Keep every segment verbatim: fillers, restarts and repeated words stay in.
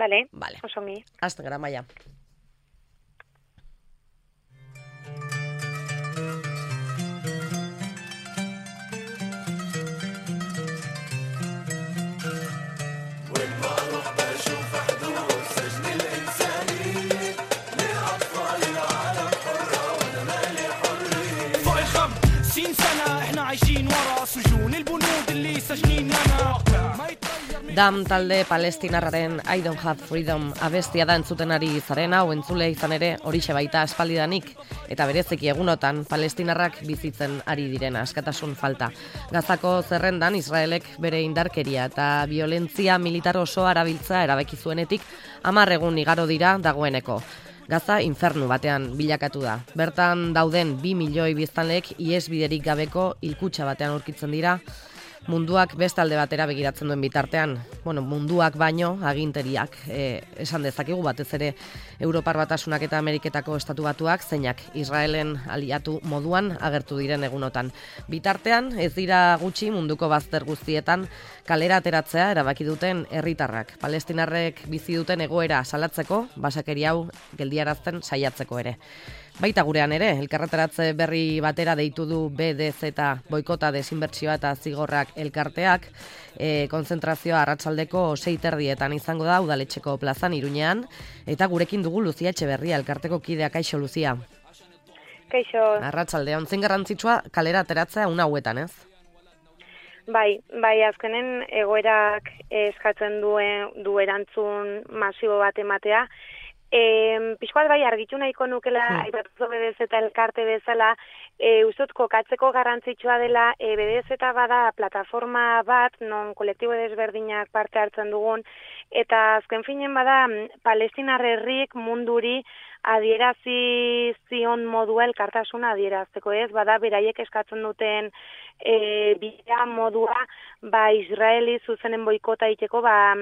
Bale, Vale. osongi. Hasten gara, Maia. Dam talde palestinarraren I don't have freedom abestia da entzuten ari zarena, hau entzule izan ere horixe baita aspaldidanik, eta berezeki egunotan palestinarrak bizitzen ari diren askatasun falta. Gazako zerrendan Israelek bere indarkeria eta violentzia militar osoa erabiltza erabaki zuenetik hamar egun igaro dira dagoeneko. Gaza infernu batean bilakatu da. Bertan dauden bi milioi biztanleek ihesbiderik gabeko hilkutxa batean aurkitzen dira. Munduak beste alde batera begiratzen duen bitartean, bueno, munduak baino aginteriak e, esan dezakegu, batez ere Europar Batasunak eta Ameriketako Estatu Batuak zeinak Israelen aliatu moduan agertu diren egunotan. Bitartean ez dira gutxi munduko bazter guztietan kalera ateratzea erabaki duten herritarrak. Palestinarrek bizi duten egoera salatzeko, basakeri hau geldiarazten saiatzeko ere. Baita gurean ere, elkarretaratze berri batera deitu du B D Z boikota desinbertsioa eta zigorrak elkarteak, e, konzentrazioa arratsaldeko sei terdietan izango da udaletxeko plazan Iruñean, eta gurekin dugu Luzia Etxeberria, elkarteko kidea. Kaixo, Luzia. Kaixo. Arratsalde, ontzen garrantzitsua kalera ateratzea una hauetan, ez? Bai, bai, azkenen egoerak eskatzen duen du erantzun masibo bat ematea. E, Pixkoat bai argitu nahiko nukela, hmm. aipatu B D Z eta elkarte bezala, e, ustut kokatzeko garrantzitsua dela, e, B D Z bada plataforma bat, non kolektibo desberdinak parte hartzen dugun, eta azken finen bada Palestinar herriek munduri adierazi zion modua elkartasuna adierazteko, ez? Bada beraiek eskatzen duten e, bidea modua, ba Israeli zuzenen boikota egiteko, ba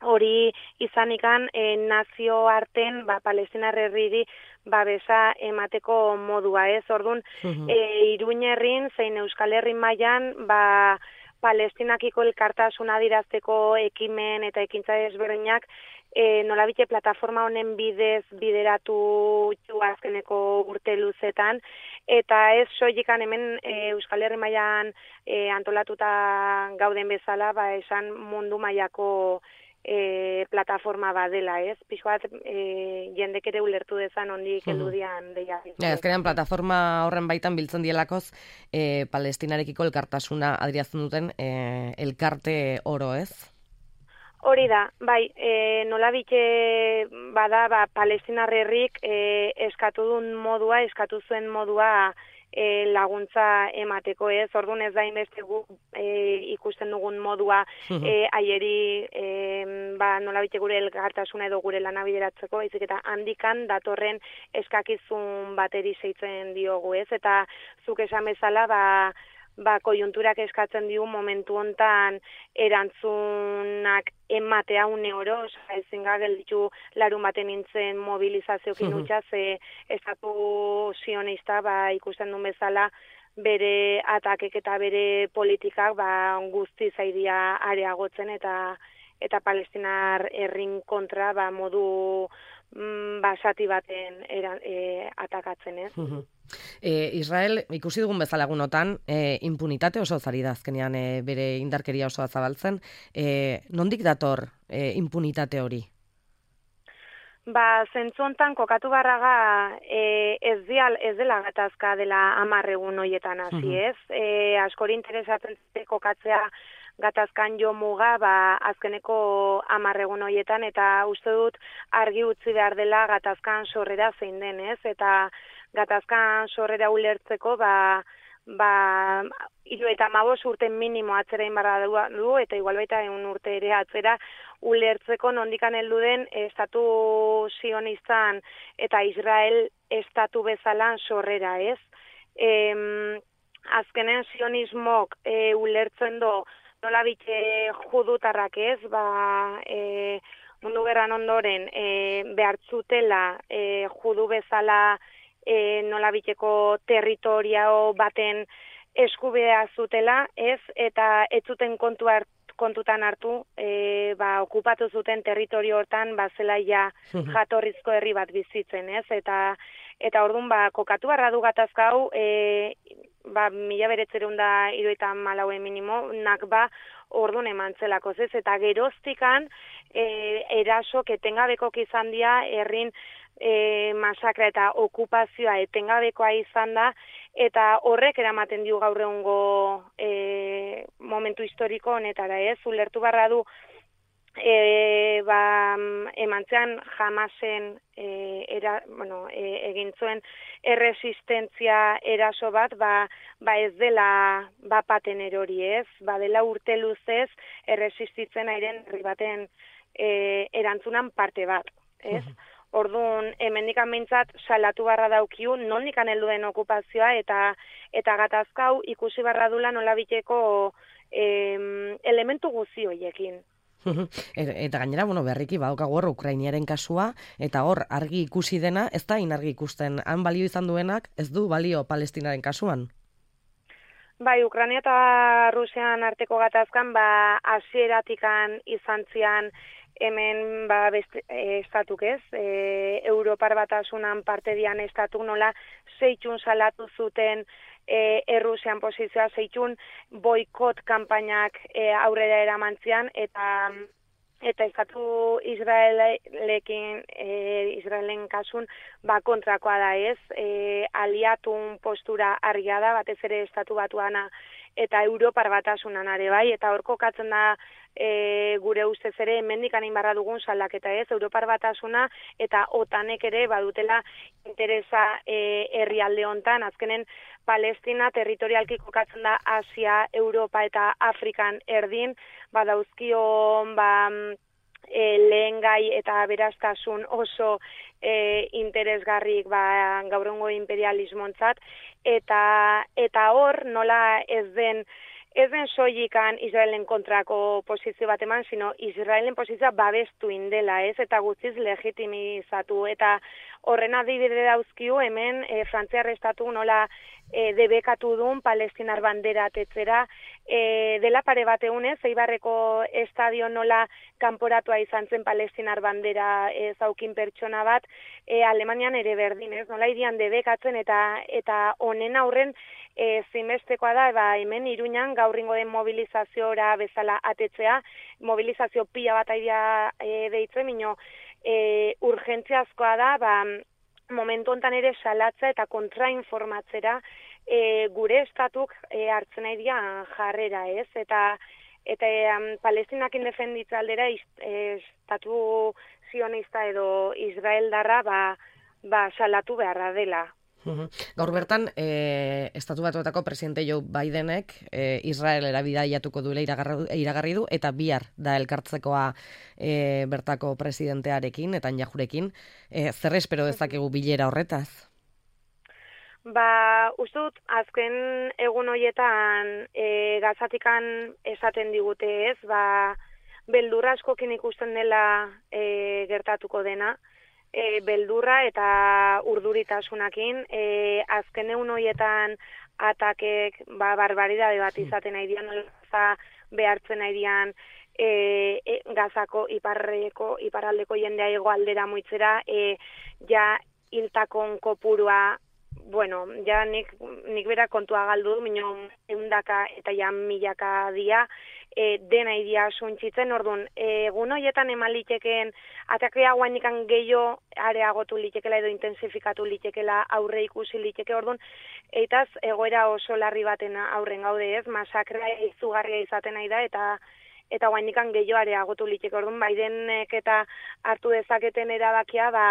hori izanikan e, nazio arten ba, Palestinar herriri babesa emateko modua, ez? Orduan, uh-huh. e, Iruin herrin zein Euskal Herri mailan ba, Palestinakiko elkartasuna adirazteko ekimen eta ekintza desberdinak e, nolabite plataforma honen bidez bideratu azkeneko urte luzetan, eta ez soilik hemen e, Euskal Herri mailan e, antolatuta gauden bezala, ba, esan mundu mailako E, plataforma badela, ez? Pixoat e, jendek ere ulertu dezan ondik heldu dian deia. Ja, azkenean plataforma horren baitan biltzen dielakoz e, Palestinarekiko elkartasuna adierazten duten e, elkarte oro, ez? Hori da, bai, e, nolabite bada ba, Palestinar herrik e, eskatu duen modua, eskatu zuen modua E, laguntza emateko, ez? Orduan ez da inbeste gu e, ikusten dugun modua e, aieri e, ba, nolabite gure elkartasuna edo gure lana bideratzeko, baizik eta handikan datorren eskakizun bateri zeitzen diogu, ez? Eta zuk esan bezala, ba, ba, koiunturak eskatzen digu momentu hontan erantzunak ematea une oro, ezin ga gelditu larun baten nintzen mobilizaziokin utxa, ze estatu zionista ba, ikusten duen bezala bere atakek eta bere politikak ba, guzti zaidia areagotzen eta eta Palestinar herrin kontra ba, modu mm, basati baten eran, e, atakatzen, ez? E, Israel, ikusi dugun bezala egunotan, e, impunitate oso zari da azkenean e, bere indarkeria osoa zabaltzen. E, nondik dator e, impunitate hori? Ba, zentzu hontan kokatu barraga e, ez, dial, ez dela gatazka dela hamar egun hoietan hasi, ez? E, askori interesatzen kokatzea gatazkan jo muga, ba, azkeneko hamar egun hoietan, eta uste dut argi utzi behar dela gatazkan sorrera zein den, ez? Eta gatazkan sorrera ulertzeko, ba, ba, hiru eta hamabost urte minimo atzera inbarra du, eta igual baita egun urte ere atzera ulertzeko nondikan heldu den estatu zionistan eta Israel estatu bezalan sorrera, ez? E, azkenen zionismok e, ulertzen do nolabite judutarrak, ez? Ba, e, mundu gerran ondoren e, behartzutela e, judu bezala E, nolabiteko territorio baten eskubidea zutela, ez, eta ez zuten kontu, hart, kontutan hartu, e, ba, okupatu zuten territorio hortan, ba, zela ja jatorrizko herri bat bizitzen, ez? Eta, eta orduan, ba, kokatu barra du gatazka hau, e, ba, mila beretzerun da iruetan malauen minimo, nak ba, orduan eman zelako, ez? Eta geroztikan, e, erasok etengabekok izan dira, herrin e, masakra eta okupazioa etengabekoa izan da, eta horrek eramaten dio gaur egungo e, momentu historiko honetara, ez? Ulertu barra du, e, ba, emantzean jamasen e, era, bueno, e, egin zuen erresistentzia eraso bat, ba, ba ez dela bapaten erori, ez? Ba dela urte luzez erresistitzen airen herri baten e, erantzunan parte bat, ez? Orduan, hemendikan behintzat salatu barra daukiu, nondikan heldu den okupazioa eta eta gatazkau ikusi barra dula nolabiteko em, elementu guzi horiekin. Eta gainera, bueno, berriki badaukagu hor Ukrainiaren kasua, eta hor argi ikusi dena, ez da inargi ikusten, han balio izan duenak, ez du balio Palestinaren kasuan? Bai, Ukraina eta Rusian arteko gatazkan, ba, hasieratikan izan zian hemen ba, beste, e, estatuk ez, e, Europar Batasunan parte dian estatuk nola zeitxun salatu zuten e, Errusian posizioa, zeitxun boikot kanpainak e, aurrera eramantzian, eta eta estatu Israelekin, e, Israelen kasun, ba, kontrakoa da ez, e, aliatun postura argia da, batez ere estatu batuana eta Europar Batasunan are bai, eta hor kokatzen da e, gure ustez ere hemendik anin barra dugun salaketa ez, Europar Batasuna eta OTANek ere badutela interesa e, herrialde hontan, azkenen Palestina territorialki kokatzen da Asia, Europa eta Afrikan erdin, badauzkio ba, e, lehen gai eta beraztasun oso e, interesgarrik ba, gaurrengo imperialismontzat, eta eta hor nola ez den ez den soilikan Israelen kontrako posizio bat eman, sino Israelen posizioa babestu indela, ez, eta guztiz legitimizatu, eta horren adibide dauzkiu hemen e, Frantziar estatu nola e, debekatu duen Palestinar bandera atetzera, e, dela pare bat egunez, Eibarreko estadio nola kanporatua izan zen Palestinar bandera e, zaukin pertsona bat, e, Alemanian ere berdin, ez, nola irian debekatzen, eta eta honen aurren E, zinbestekoa da, ba, hemen Iruñan gaurringo den mobilizaziora bezala atetzea, mobilizazio pila bat aidea e, deitzen, mino e, urgentziazkoa da, ba, momentu hontan ere salatza eta kontrainformatzera e, gure estatuk e, hartzen aidea jarrera, ez? Eta eta um, Palestinakin defenditza aldera e, estatu zionista edo Israeldarra ba, ba, salatu beharra dela. Gaur bertan, e, Estatu Batuetako presidente Joe Bidenek e, Israelera bidaiatuko duela iragarri du, eta bihar da elkartzekoa e, bertako presidentearekin, eta Netanyahurekin. E, zer espero dezakegu bilera horretaz? Ba, uste dut, azken egun horietan e, Gazatikan esaten digute ez, ba, beldurra askokin ikusten dela e, gertatuko dena, E, beldurra eta urduritasunakin, e, azken egun horietan atakek ba, barbaridade bat izaten nahi dian, behartzen nahi dian e, e, Gazako iparreko, iparraldeko jendea hegoaldera muitzera, e, ja hiltakon kopurua, bueno, ja nik, nik bera kontua galdu, minun eundaka eta ja milaka dia, E, dena idia suntzitzen, orduan, egun horietan eman litekeen, atakea guainikan gehiago areagotu litekela edo intensifikatu litekela, aurre ikusi liteke, orduan, eitaz egoera oso larri baten aurren gaude ez, masakra izugarria izaten nahi da, eta eta guainikan gehiago areagotu liteke, orduan, Bidenek eta hartu dezaketen erabakia, ba,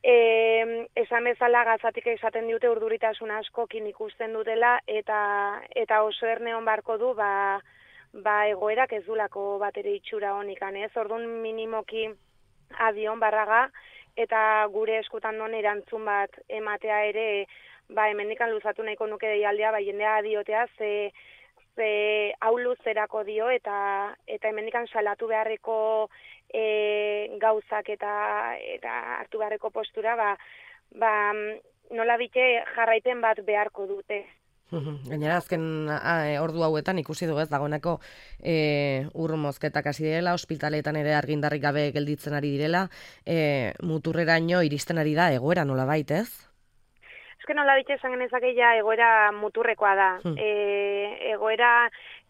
E, esan bezala Gazatik esaten dute urduritasun askokin ikusten dutela, eta eta oso erneon barko du, ba, ba egoerak ez dulako bat ere itxura honikan, ez? Orduan minimoki adion barraga, eta gure eskutan non erantzun bat ematea ere, ba hemendikan luzatu nahiko nuke deialdea, ba jendea adiotea, ze, ze hau luzerako dio, eta eta hemendikan salatu beharreko e, gauzak eta eta hartu beharreko postura, ba, ba nola bite jarraipen bat beharko dute. Gainera, azken a, ordu hauetan ikusi dugu ez, dagoeneko e, ur mozketak hasi direla, ospitaleetan ere argindarrik gabe gelditzen ari direla, e, muturreraino iristen ari da egoera nolabait, ez? Ezken nola bitxe esan genezake ja egoera muturrekoa da. Hmm. E, egoera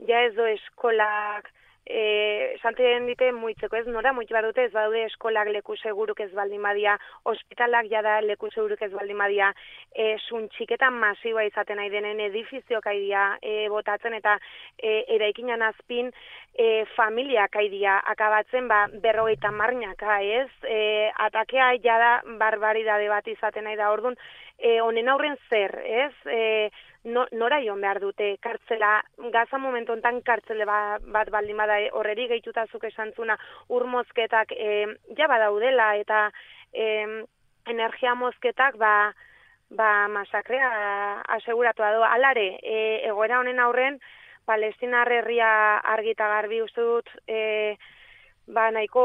ja ez do eskolak, e, santen dite muitzeko ez, nora muitz bat dute ez badaude eskolak leku seguruk ez baldin badia, ospitalak jada leku seguruk ez baldin badia, e, suntxiketan masiboa izaten nahi denen edifizioak aidia e, botatzen eta e, eraikinan azpin e, familiak aidia akabatzen ba, berrogeita marnaka ez, e, atakea jada barbaridade bat izaten nahi da orduan, e, honen aurren zer, ez, e, No, nora joan behar dute, kartzela, gaza momentu enten kartzele ba, bat baldin bada horreri gehitutazuk esantzuna ur mozketak e, ja badaudela eta e, energia mozketak ba, ba masakrea aseguratu da. Alare, e, egoera honen aurren, Palestinar herria argita garbi uste dut, e, ba nahiko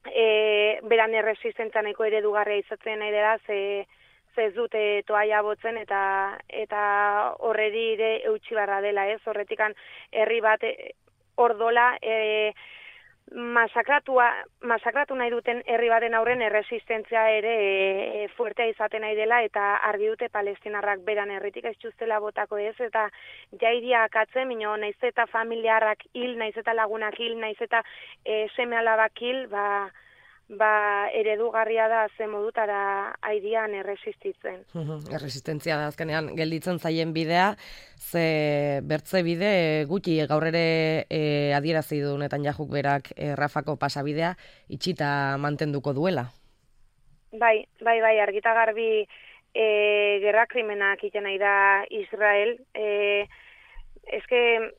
e, beran erresistentzia nahiko eredugarria izatzen nahi dela, ze ez dute toaia botzen eta eta horreri ere eutxi barra dela, ez? Horretikan herri bat ordola e, masakratua, masakratu nahi duten herri baten aurren erresistentzia ere e, fuertea izaten nahi dela eta argi dute palestinarrak beran herritik ez txustela botako ez eta jairia akatzen, mino naiz eta familiarrak hil, naiz eta lagunak hil, naiz eta e, seme alabak hil, ba ba eredugarria da ze modutara aidian erresistitzen. Erresistentzia da azkenean gelditzen zaien bidea, ze bertze bide gutxi gaur ere e, adierazi du Netanyahu berak e, Rafako pasabidea itxita mantenduko duela. Bai, bai, bai, argita garbi e, gerra krimenak egiten nahi da Israel. E, eske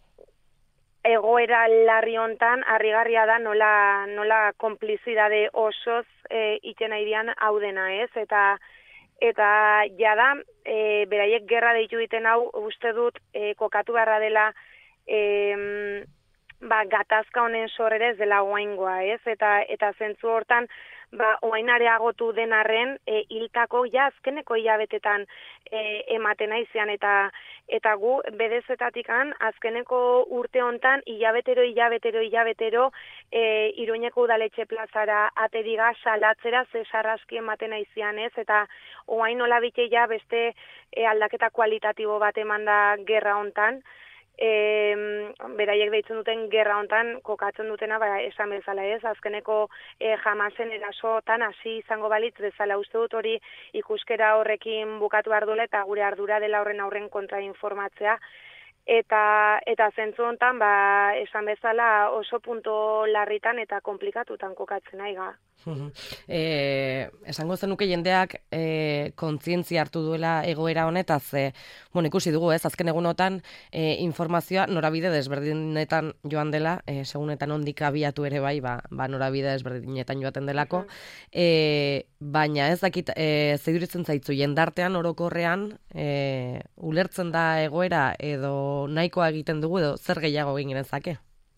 egoera larri hontan harrigarria da nola nola konplizidade osoz eh iten aidian hau dena, ez? Eta eta jada e, beraiek gerra deitu diten hau uste dut e, kokatu beharra dela e, ba gatazka honen sorrera ez dela oraingoa, ez? Eta eta zentzu hortan ba orain areagotu den arren e, hiltako ja azkeneko hilabetetan e, ematen aizean eta eta gu bedezetatikan azkeneko urte hontan hilabetero hilabetero hilabetero e, Iruñeko udaletxe plazara ateriga salatzera ze sarraski ematen aizean, ez? Eta orain nola bite ja beste e, aldaketa kualitatibo bat emanda gerra hontan. E, beraiek deitzen duten gerra hontan kokatzen dutena ba, esan bezala ez, azkeneko e, jamasen erasotan hasi izango balitz bezala uste dut hori ikuskera horrekin bukatu behar duela eta gure ardura dela horren aurren kontra informatzea eta eta zentzu hontan ba, esan bezala oso punto larritan eta komplikatutan kokatzen aiga. E, esango zenuke jendeak e, kontzientzia hartu duela egoera honetaz, e, bueno, ikusi dugu ez, azken egunotan e, informazioa norabide desberdinetan joan dela, e, segunetan ondik abiatu ere bai, ba, ba norabide desberdinetan joaten delako, e, baina ez dakit, e, zeiduritzen zaitzu jendartean orokorrean e, ulertzen da egoera edo nahikoa egiten dugu edo zer gehiago egin genezake?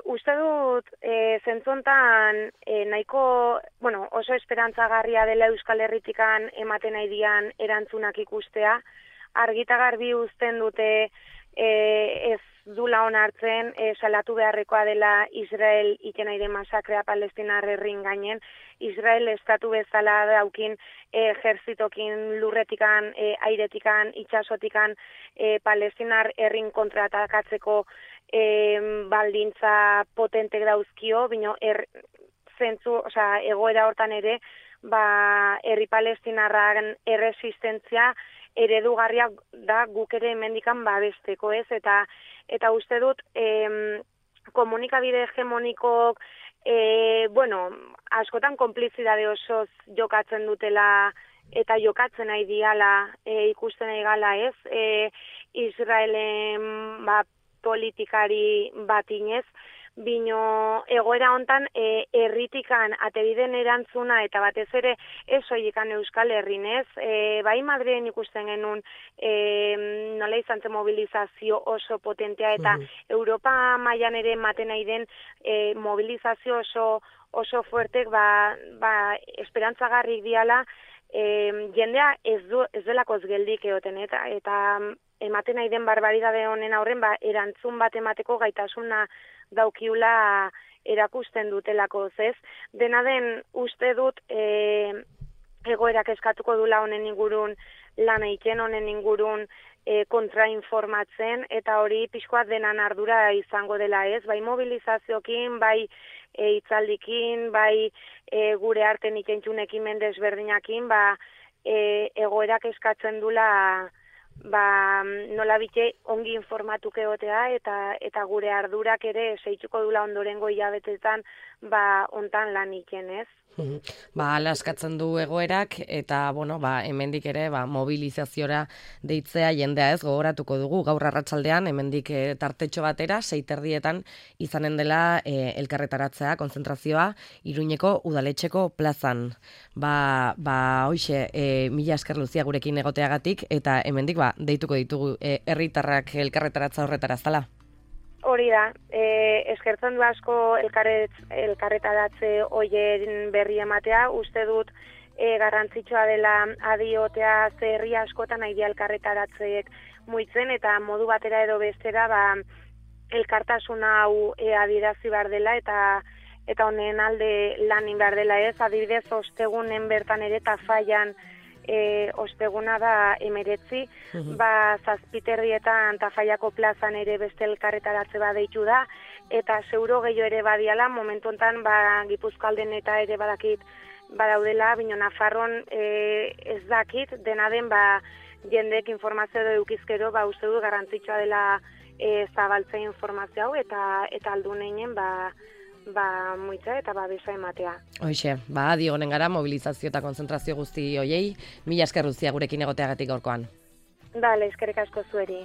Uste dut, e, zentzontan e, nahiko, bueno, oso esperantzagarria dela Euskal Herritikan ematen nahi dian erantzunak ikustea. Argita garbi uzten dute e, ez dula onartzen, e, salatu beharrekoa dela Israel iten nahi den masakrea Palestinar herrin gainen. Israel estatu bezala daukin e, ejerzitokin lurretikan, e, airetikan, itxasotikan e, Palestinar herrin kontratakatzeko E, baldintza potentek dauzkio, bino er, zentzu, osea, egoera hortan ere, ba, herri palestinarran erresistentzia eredugarria da guk ere hemendikan babesteko, ez? Eta eta uste dut em, komunikabide hegemonikok e, bueno, askotan konplizidade osoz jokatzen dutela eta jokatzen nahi diala e, ikusten nahi gala, ez? E, Israelen ba, politikari batinez, bino egoera hontan e, erritikan atebiden erantzuna eta batez ere ez soilikan Euskal Herrinez, e, bai Madrilen ikusten genuen e, nola izan zen mobilizazio oso potentea eta uh-huh. Europa mailan ere ematen nahi den e, mobilizazio oso oso fuertek ba, ba esperantzagarrik diala e, jendea ez, du, ez delakoz geldik egoten eta, eta ematen nahi den barbaridade honen aurren, ba, erantzun bat emateko gaitasuna daukiula erakusten dutelako, ez? Dena den uste dut e, egoerak eskatuko dula honen ingurun, lan egiten honen ingurun e, kontrainformatzen, eta hori pixkoat denan ardura izango dela, ez? Bai mobilizaziokin, bai e, itzaldikin, bai e, gure arten ikentxunekin mendesberdinakin, ba, e, egoerak eskatzen dula ba, nola bite ongi informatuke egotea eta eta gure ardurak ere seituko dula ondorengo hilabetetan ba hontan lan iken, ez? Ba, ala eskatzen du egoerak eta bueno, ba hemendik ere ba mobilizaziora deitzea jendea, ez, gogoratuko dugu gaur arratsaldean hemendik e, tartetxo batera sei terdietan izanen dela e, elkarretaratzea, konzentrazioa Iruñeko udaletxeko plazan. Ba, ba hoixe, e, mila esker Luzia gurekin egoteagatik eta hemendik ba deituko ditugu herritarrak e, elkarretaratza horretara zala. Hori da, e, eskertzen du asko elkarret, elkarretaratze hoien berri ematea, uste dut e, garrantzitsua dela adiotea ze herri askotan nahi elkarretaratzeek muitzen eta modu batera edo bestera ba, elkartasuna hau e, adierazi behar dela eta eta honen alde lanin behar dela, ez, adibidez ostegunen bertan ere Tafallan E, osteguna da emeretzi, uhum. ba zazpiterrietan Tafallako plazan ere beste elkarretaratze bat deitu da, eta zeuro gehiago ere badiala, momentu honetan ba, Gipuzkoalden eta ere badakit badaudela, bino Nafarron e, ez dakit, dena den ba, jendek informazio edo eukizkero, ba, uste du garrantzitsua dela e, zabaltzea informazio hau, eta eta alduneinen ba, ba, muitza eta babesa ematea. Hoxe, ba, adi honen gara, mobilizazio eta konzentrazio guzti hoiei, mila esker Luzia gurekin egoteagatik gaurkoan. Dale, eskerrik asko zueri.